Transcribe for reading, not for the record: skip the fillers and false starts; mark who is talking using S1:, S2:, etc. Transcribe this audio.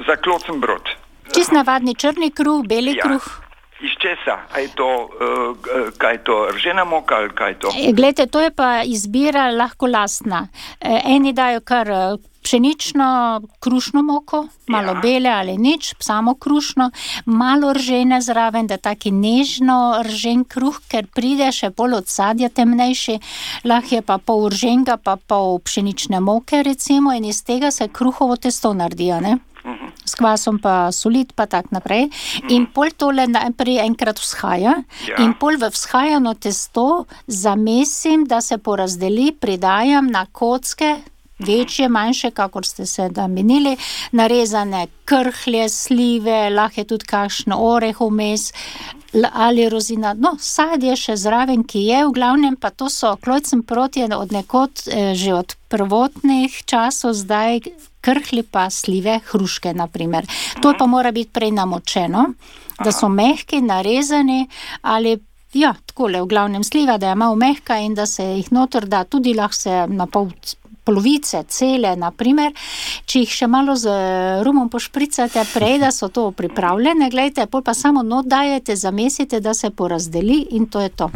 S1: Za klocenbrod.
S2: Čist navadni črni kruh, beli kruh.
S1: Iz česa? Kaj je to ržena moka ali kaj je to?
S2: Glejte, to je pa izbira lahko lastna. Eni dajo kar pšenično krušno moko, malo bele ali nič, samo krušno, malo ržene zraven, da taki nežno ržen kruh, ker pride še bolj od sadja temnejši, lahko je pa pol rženga, pa pol pšenične moke recimo in iz tega se kruhovo testo naredijo, ne? S kvasom pa solit pa tak naprej. In pol tole najprej enkrat vzhaja in pol v vzhajano testo zamesim, da se porazdeli, pridajam na kocke, večje, manjše, kakor ste se da menili, narezane krhlje, slive, lahko je tudi kakšno oreh vmes ali rozina, sadje še zraven, ki je, v glavnem pa to so klojcenbrod je od nekod že od prvotnih časov zdaj krhlji pa slive, hruške naprimer. To pa mora biti prej namočeno, da so mehki, narezani ali takole, v glavnem sliva, da je malo mehka in da se jih noter da, tudi lahko se na polovice, cele, naprimer, če jih še malo z rumom pošpricate prej, da so to pripravljene, glejte, pol pa samo not dajete, zamesite, da se porazdeli in to je to.